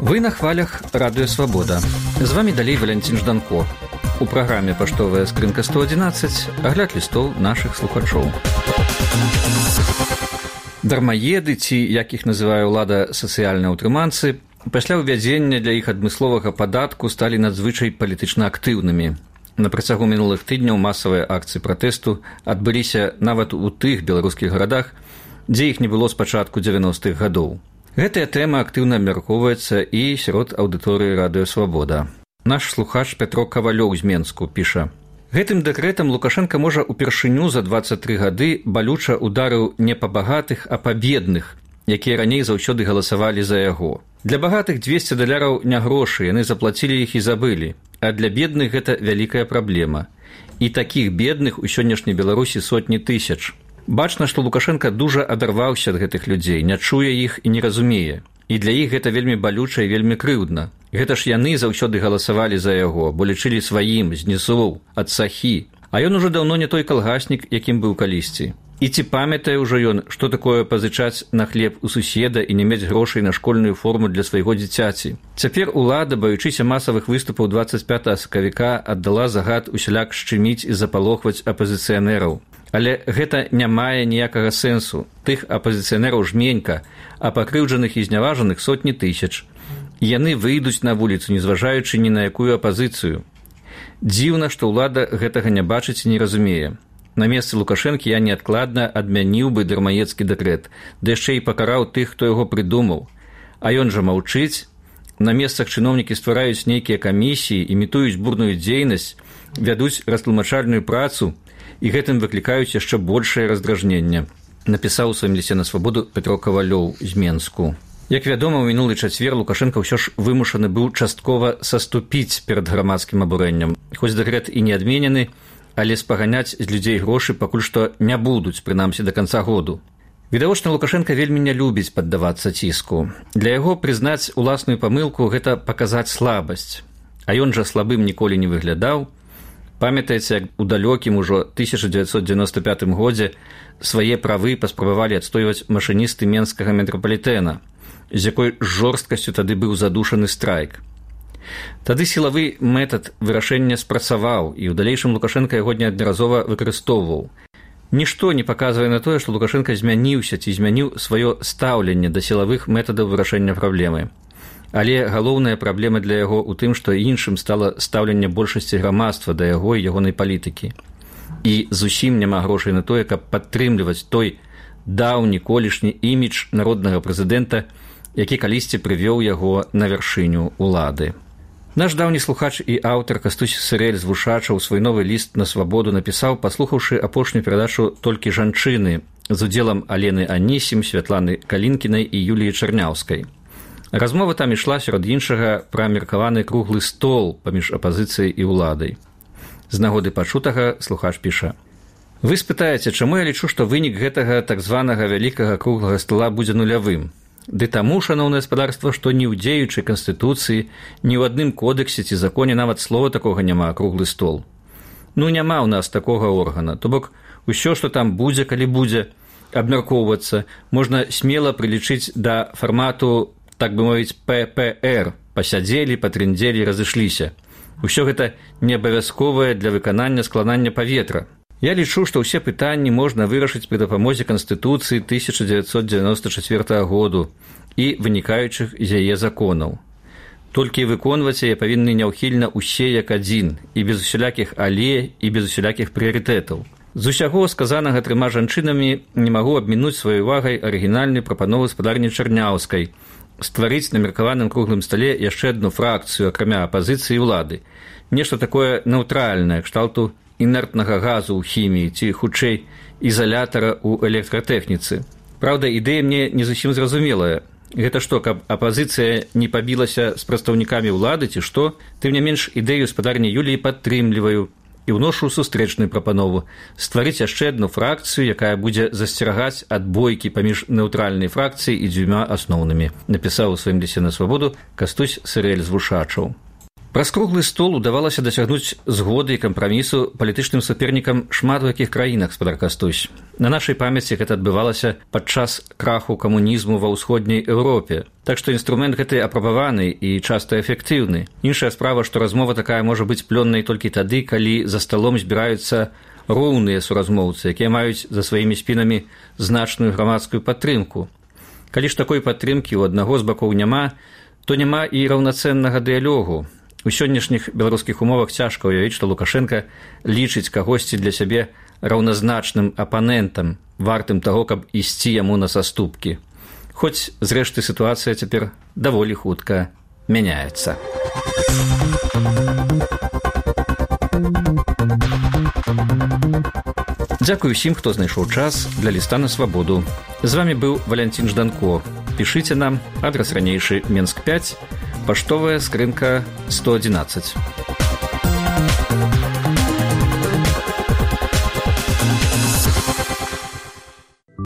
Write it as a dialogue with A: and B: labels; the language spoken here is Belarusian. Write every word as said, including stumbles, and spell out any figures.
A: Вы на хвалях Радыё Свабода. З вами далей Валянцін Жданко. У праграме «Паштовая скрынка сто адзінаццаць» агляд лістоў нашых слухачоў. Дармаеды, ці, як іх называе ўлада, сацыяльныя ўтрыманцы, пасля ўвядзення для іх адмысловага падатку сталі надзвычай палітычна актыўнымі. На працягу мінулых тыдняў масавыя акцыі пратэсту адбыліся нават у тых беларускіх гарадах, дзе іх не было з пачатку дзевяностых гадоў. Гэтая тэма актыўна абмяркоўваецца і сярод аўдыторыі Радыё Свабода. Наш слухач Пятро Кавалёў з Менску піша: «Гэтым дэкрэтам Лукашенка можа ўпершыню за дваццаць тры гады балюча ударыў не па багатых, а па бедных, якія раней заўсёды галасавалі за яго. Для багатых дзвесце даляраў не грошы, яны заплацілі іх і забылі, а для бедных гэта вялікая праблема. І такіх бедных у сённяшняй Беларусі сотні тысяч. Бачна, што Лукашенка дужа адарваўся ад гэтых людзей, не чуе іх і не разумее. І для іх гэта вельмі балюча і вельмі крыўдна. Гэта ж яны заўсёды галасавалі за яго, бо лічылі сваім, знізоў, ад сахі. А ён ужо даўно не той калгаснік, якім быў калісьці. І ці памятае ўжо ён, што такое пазычаць на хлеб у суседа і не мець грошай на школьную форму для свайго дзіцяці. Цяпер улада, баючыся масавых выступаў дваццаць пятага сакавіка, аддала загад усяляк шчыміць і запалохваць апазіцыянераў. Але гэта не мае ніякага сэнсу. Тых апазіцыянераў жменька, а пакрыўджаных і зняважаных сотні тысяч. Яны выйдуць на вуліцу, не зважаючы ні на якую апазіцыю. Дзіўна, што ўлада гэтага не бачыць і не разумее. На месцы Лукашэнкі я неадкладна адмяніў бы дармаедскі дэкрэт, ды яшчэ і пакараў тых, хто яго прыдумаў. А ён жа маўчыць. На месцах чыноўнікі ствараюць нейкія камісіі, імітуюць бурную дзейнасць, вядуць растлумачальную працу, і гэтым выклікаюць яшчэ большае раздражненне, напісаў у сваім лісце на Свабоду Пятро Кавалёў з Менску. Як вядома, у мінулы чацвер Лукашенка ўсё ж вымушаны быў часткова саступіць перад грамадскім абурэннем. Хоць дэкрэт і не адменены, але спаганяць з людзей грошы пакуль што не будуць, прынамсі да канца году. Відавочна, Лукашенка вельмі не любіць паддавацца ціску. Для яго прызнаць уласную памылку – гэта паказаць слабасць. А ён жа слабым ніколі не выглядаў. Памятаеце, як у далёкім ужо тысяча дзевяцьсот дзевяносто пятым годзе свае правы паспрабавалі адстойваць машыністы менскага метрапалітэна, з якой жорсткасцю тады быў задушаны страйк. Тады сілавы метад вырашэння спрацаваў, і ў далейшым Лукашенка яго неаднаразова выкарыстоўваў. Нішто не паказвае на тое, што Лукашенка змяніўся ці змяніў сваё стаўленне да сілавых метадаў вырашэння праблемы. Але галоўная праблема для яго ў тым, што іншым стала стаўленне большасці грамадства да яго і ягонай палітыкі. І зусім няма грошай на тое, каб падтрымліваць той даўні колішні імідж народнага прэзідэнта, які калісьці прывёў яго на вяршыню ўлады. Наш даўні слухач і аўтар Кастусь Сырэль з Вушача ў свой новы ліст на Свабоду напісаў, паслухаўшы апошнюю перадачу «Толькі жанчыны» з удзелам Алены Анісім, Святланы Калінкінай і Юліі Чарняўскай. Размова там ішла, сярод іншага, пра меркаваны круглы стол паміж апазіцыяй і ўладай. З нагоды пачутага слухач піша: «Вы спытаеце, чаму я лічу, што вынік гэтага так званага вялікага круглага стола будзе нулявым? Ды таму, шаноўнае гаспадарства, што ні ў дзеючай канстытуцыі, ні ў адным кодексе ці законе нават слова такога няма круглы стол. Ну, няма ў нас такога органа, то бок усё, што там будзе, калі будзе абмяркоўвацца, можна смела прылічыць да фармату, так бы мовіць, пэ пэ эр, пасядзелі, патрындзелі, разышліся. Усё гэта не абавязковае для выканання складання паветра. Я лічу, што ўсе пытанні можна вырашыць пры дапамозе Канстытуцыі тысяча дзевяцьсот дзевяносто чацвёртага году і вынікаючых з яе законаў. Толькі выконваць яе павінны няўхільна ўсе як адзін, і без усялякіх але, і без усялякіх прыярытэтаў. З усяго сказанага трыма жанчынамі не магу абмінуць сваёй увагай арыгінальную прапанову гаспадарні Чарняўскай стварыць на меркаваным круглым стале яшчэ адну фракцыю, акрамя апазіцыі ўлады. Нешта такое нейтральнае, кшталту інертнага газу ў хіміі ці, хутчэй, ізалятара ў электратэхніцы. Праўда, ідэя мне не зусім зразумелая. Гэта што, каб апазіцыя не пабілася з прадстаўнікамі ўлады ці што? Тым не менш, ідэю гаспадарні Юліі падтрымліваю і ўношу сустрэчную прапанову стварыць яшчэ адну фракцыю, якая будзе засцерагаць ад бойкі паміж нейтральнай фракцыяй і дзвюма асноўнымі, напісаў у сваім лісце на Свабоду Кастусь Сырэль з Вушачаў. Праз круглы стол удавалася дасягнуць згоды і кампрамісу палітычным супернікам шмат у якіх краінах, спадар Кастусь. На нашай памяці гэта адбывалася падчас краху камунізму ва ўсходняй Еўропе. Так што інструмент гэты апрабаваны і часта эфектыўны. Іншая справа, што размова такая можа быць плённай толькі тады, калі за сталом збіраюцца роўныя суразмоўцы, якія маюць за сваімі спінамі значную грамадскую падтрымку. Калі ж такой падтрымкі ў аднаго з бакоў няма, то няма і раўнацэннага дыялогу. У сённяшніх беларускіх умовах цяжка ўявіць, што Лукашенка лічыць кагосьці для сябе раўназначным апанентам, вартым таго, каб ісці яму на саступкі. Хоць, зрэшты, сітуацыя цяпер даволі хутка мяняецца. Дзякую ўсім, хто знайшоў час для ліста на свабоду. З вамі быў Валянцін Жданко. Пішыце нам, адрас ранейшы Менск пяць, паштовая скрынка сто адзінаццаць.